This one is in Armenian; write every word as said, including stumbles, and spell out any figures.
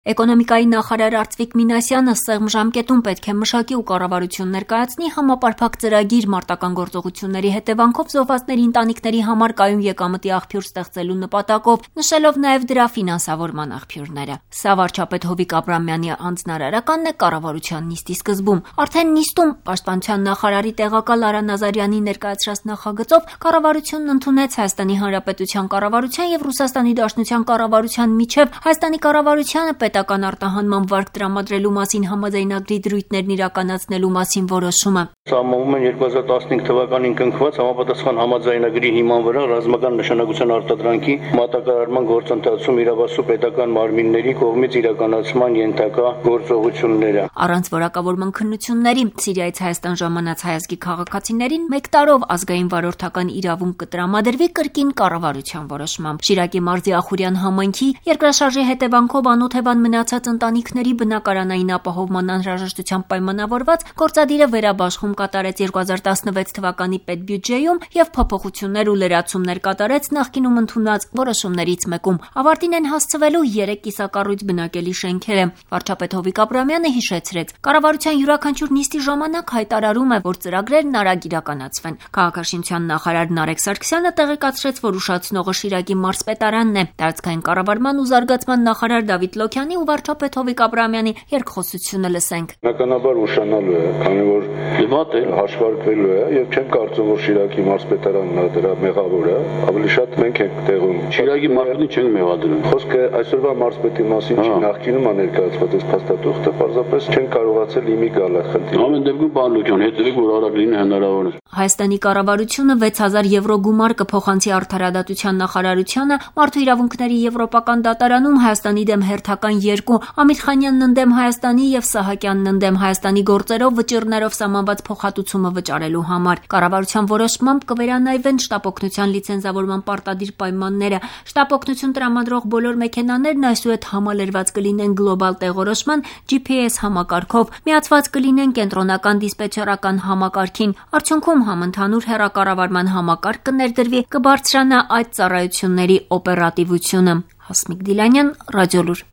Էկոնոմիկայի նախարար Արծվիկ Մինասյանը սեղմ ժամկետում պետք է մշակի ու կառավարություն ներկայացնի համապարփակ ծրագիր մարտական գործողությունների հետևանքով զոհվածների ընտանիքների համար կայուն եկամտի աղբյուր ստեղծելու նպատակով, նշելով նաև դրա ֆինանսավորման աղբյուրները։ Սա վարչապետ Հովիկ Աբրահամյանի հանձնարարականն է կառավարության նիստի սկզբում։ Արդեն նիստում պաշտպանության նախարարի տեղակալ Արա Նազարյանի ներկայացրած նախագծով կառավարությունն ընդունեց Հայաստանի Հանրապետության կառավարության եւ Ռուսաստանի Դաշնության կառավարության միջև Հայաստանի կառավարությանը պետական արտահանման վարկ տրամադրելու մասին համաձայնագրի դրույթներն իրականացնելու մասին որոշումը։ Սահմանվում են երկու հազար տասնհինգ թվականին կնքված համապատասխան համաձայնագրի հիման վրա ռազմական նշանակության արտադրանքի մատակարարման գործընթացում իրավասու պետական մարմինների կողմից իրականացման ենթակա գործողությունները։ Առանց որակավորման քննությունների Սիրիայից Հայաստան ժամանած հայ ազգի քաղաքացիներին մեկ տարով ազգային վարորդական իրավունք կտրամադրվի կրկին կառավարության որոշմամբ։ Շիրակի մարզի Ախուրյան համայնքի երկրաշարժի հետևանքով անօթևան մնացած ընտանիքների բնակարանային ապահովման անհրաժեշտությամբ պայմանավորված գործադիրը վերաբաշխում կատարեց երկու հազար տասնվեց թվականի պետբյուջեում եւ փոփոխություններ ու լրացումներ կատարեց նախկինում ընդունված որոշումներից մեկում։ Ավարտին են հասցվելու երեք կիսակառույց բնակելի շենքերը։ Վարչապետ Հովիկ Աբրահամյանը հիշեցրեց. կառավարության յուրաքանչյուր նիստի ժամանակ հայտարարում է, որ ծրագրերն արագ իրականացվեն։ Քաղաքաշինության նախարար Նարեկ Սարգսյանը տեղեկացրեց, որ ուշացնողը Շիրակի մարզպետարանն է։ Տարածքային կառավարման ու զարգացման նախարար Դավիթ Լոքյանի ու վարչապետ Հովիկ Աբրահամյանի երկխոսությունը լսենք։ Բնականաբար ուշանալու է, քանի որ դեպատ է հաշվարկվելու է եւ չեմ կարծում, որ Շիրակի մարզպետարանն է դրա մեղավորը, ավելի շատ մենք ենք տեղում։ Շիրակի մարզպետին չենք մեղադրում։ Խոսքը այսօրվա մարզպետի մասին չի, նախկինում է ներկայացված այս փաստաթուղթը, պարզապես չեն կարողացել իմի գալ այդ խնդիրը։ Ամեն դեպքում պարոն Լոքյան, հետևեք, որ արագ լինի հնարավոր է։ Հայաստանի կառավարությունը վեց հազար եվրո գումար կփոխանցի արդարադատության նախարարությանը մարդու իրավունքների եվրոպական դատարանում Հայաստանի դեմ հերթական երկու Ամիրխանյանն ընդդեմ Հայաստանի եւ Սահակյանն ընդդեմ Հայաստանի գործերով վճիռներով սահմանված փոխհատուցումը վճարելու համար։ Կառավարության որոշմամբ կվերանայվեն շտապօգնության լիցենզավորման պարտադիր պայմանները։ Շտապօգնություն տրամադրող բոլոր մեքենաներն այսուհետ համալրված կլինեն գլոբալ տեղորոշման G P S համակարգով, միացված կլինեն կենտրոնական դիսպետչերական համակարգին։ Արդյունքում համընդհանուր հեռակառավարման համակարգ կներդրվի, կբարձրանա այդ ծառայությունների օպերատիվությունը։ Հասմիկ Դիլանյան, Ռադիոլուր։